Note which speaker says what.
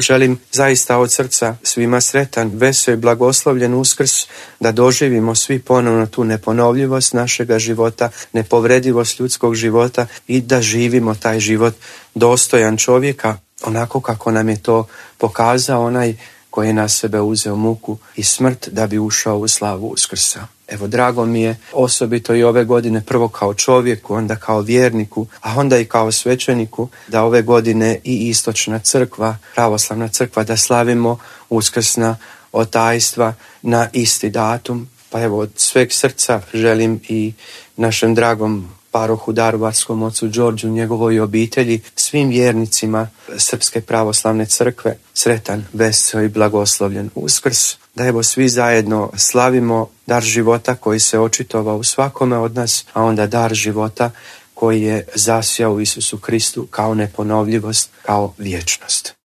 Speaker 1: Želim zaista od srca svima sretan, veseo i blagoslovljen Uskrs, da doživimo svi ponovno tu neponovljivost našega života, nepovredivost ljudskog života i da živimo taj život dostojan čovjeka, onako kako nam je to pokazao onaj koji je na sebe uzeo muku i smrt da bi ušao u slavu Uskrsa. Evo, drago mi je osobito i ove godine, prvo kao čovjeku, onda kao vjerniku, a onda i kao svećeniku, da ove godine i Istočna crkva, pravoslavna crkva, da slavimo uskrsna otajstva na isti datum. Pa evo, od sveg srca želim i našem dragom parohu daruvarskom ocu Đorđu, njegovoj obitelji, svim vjernicima Srpske pravoslavne crkve sretan, veseo i blagoslovljen Uskrs. Da evo svi zajedno slavimo dar života koji se očitovao u svakome od nas, a onda dar života koji je zasjao u Isusu Kristu kao neponovljivost, kao vječnost.